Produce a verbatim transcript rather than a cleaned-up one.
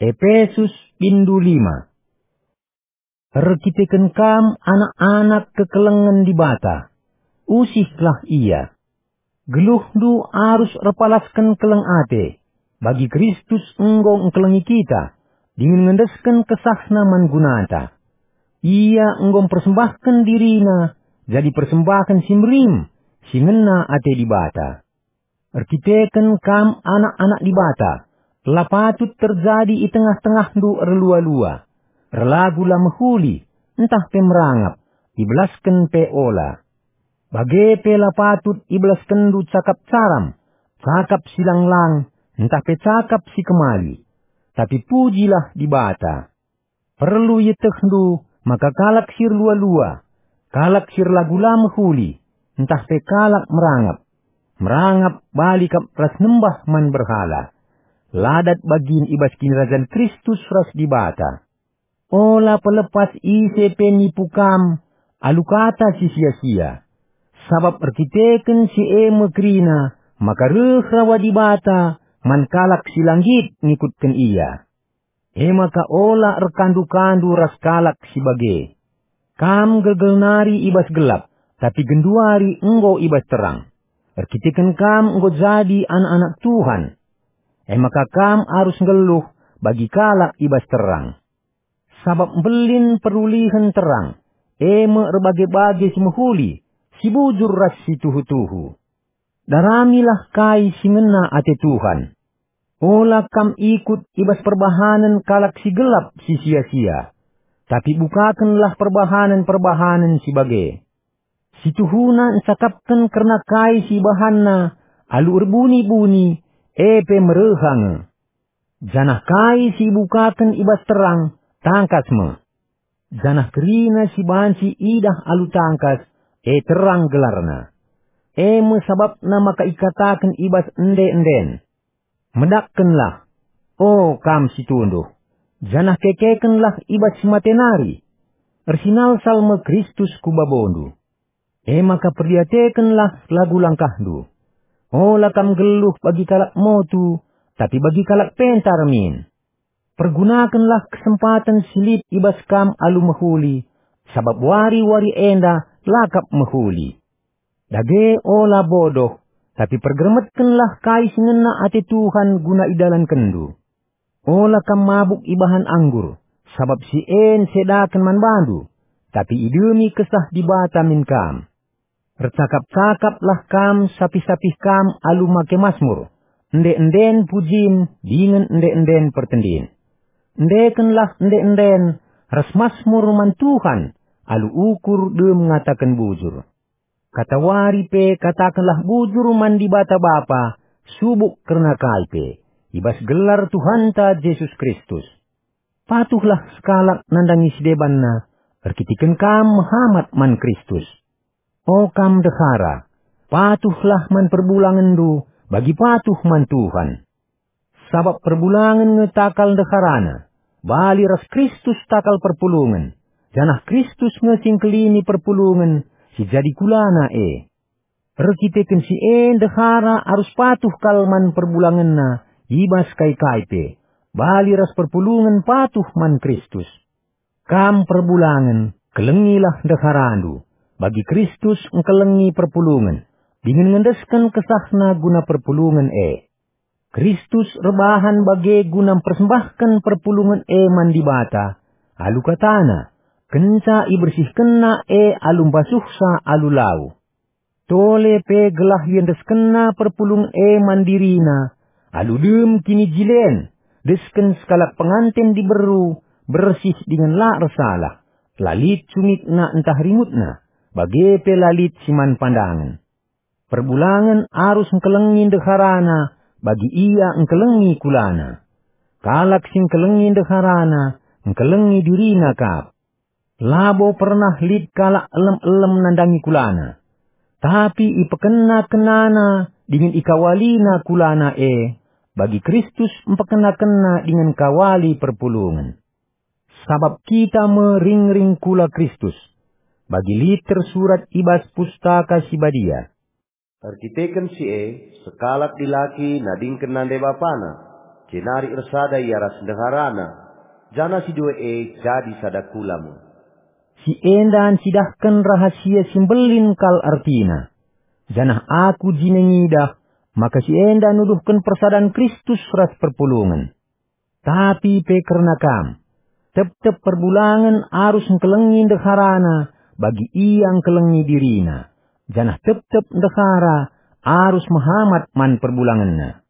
Epesus bindu lima. Erkiteken kam anak-anak kekelengen Dibata, usihlah ia. Geluhndu arus erpalasken keleng ate, bagi Kristus enggo engkelengi kita, dingen ngendesken kesahna man gunata. Ia enggo mpersembahken dirina jadi persembahen si merim, si ngena ate Dibata. Erkiteken kam anak-anak Dibata, la patut terjadi i tengah-tengahndu erlua-lua, erlagu la mehuli, ntah pe merangap, ibelasken pe ola. Bage pe la patut ibelaskenndu cakap caram, cakap si lang-lang, ntah pe cakap si kemali. Tapi pujilah Dibata. Perlu ietehndu maka kalak si erlua-lua, kalak si erlagu la mehuli, ntah pe kalak merangap. Merangap bali kap ras nembah man berhala. La dat bagin i bas Kinirajan Kristus ras Dibata. Ola pelepas ise pe nipu kam alu kata si sia-sia. Sabap erkiteken si e me kerina maka reh rawa Dibata man kalak si la nggit ngikutken Ia. E maka ola erkandu-kandu ras kalak si bage. Kam gelgel nari i bas gelap, tapi genduari enggo i bas terang. Erkiteken kam enggo jadi anak-anak Tuhan. E maka kam arus nggeluh bagi kalak i bas terang. Sabap mbelin perulihen terang, e me erbage-bage si mehuli, si bujur ras si tuhu-tuhu. Daramilah kai si ngena ate Tuhan. Ola kam ikut i bas perbahanen kalak si gelap si sia-sia, tapi bukakenlah perbahanen-perbahanen si bage. Si tuhuna ncakapken kerna kai si ibahanna alu erbuni-buni, e pe mereha nge. Janah kai si ibukaken i bas terang, tangkas me. Janah kerina si banci idah alu tangkas, e terang gelarna. E me sabapna maka ikataken i bas ende-enden, "Medakkenlah, o kam si tunduh, janah kekekenlah i bas si mate nari. Ersinalsal me Kristus ku babondu." E maka perdiatekenlah lagu langkahndu. Ola kam nggeluh bagi kalak motu, tapi bagi kalak pentar min. Pergunakenlah kesempaten si lit i bas kam alu mehuli, sabap wari-wari enda la kap mehuli. Dage ola bodoh, tapi pergermetkenlah kai si ngena ate Tuhan guna idalankenndu. Ola kam mabuk ibahan anggur, sabap si e nsedaken man bandu, tapi idemi Kesah Dibata min kam. Ercakap-cakaplah kam sapih-sapih kam alu make masmur, ende-enden pujin dingen ende-enden pertendin. Endekenlah ende-enden ras masmur man Tuhan alu ukur dem ngataken bujur. Katawari pe katakenlah bujur man Dibata Bapa, subuk kerna kai pe, i bas gelar Tuhanta Jesus Kristus. Patuhlah sekalak nandangi si debanna, erkiteken kam mehamat man Kristus. O kam ndehara, patuhlah man perbulangenndu bagi patuh man Tuhan. Sabap perbulangen nge takal ndeharana, bali ras Kristus takal perpulungen, janah Kristus nge si ngkelini perpulungen si jadi kulana e. Erkiteken si e ndehara arus patuh kal man perbulangenna i bas kai-kai pe, bali ras perpulungen patuh man Kristus. Kam perbulangen, kelengilah ndeharandu, bagi Kristus engkelengi perpulungen, dingen ngendesken kesahna guna perpulungen e. Kristus erbahan bage guna mpersembahken perpulungen e man Dibata, alu katana, kenca ibersihkenna e alu mbasuhsa alu lau. Tole pe gelah iendeskenna perpulungen e man dirina, alu dem kinijilen, desken sekalak penganten diberu, bersih dingen la ersalah, la lit cungikna ntah ringutna, bage pe la lit si man pandangen. Perbulangen arus engkelengi ndeharana, bagi ia engkelengi kulana. Kalak si engkelengi ndeharana, engkelengi dirina kap. Labo pernah lit kalak elem-elem nandangi kulana. Tapi ipekenna-kennana dingen ikawalina kulana e, bagi Kristus mpekenna-kenna dingen kawali perpulungen. Sabap kita me ringring kula Kristus, bagi lit tersurat i bas Pustaka Si Badia. Erkiteken si e, sekalak dilaki nadingken nande bapana, Jenari ersada ia ras ndeharana, janah si dua e jadi sada kula me. Si enda ncidahken rahasia si mbelin kal ertina. Janah aku jine ngidah maka si enda nuduhken persadan Kristus ras perpulungen. Tapi pe kerna kam, tep-tep perbulangen arus ngkelengi ndeharana bagi ia ngkelengi dirina, janah tep-tep ndehara arus mehamat man perbulangenna.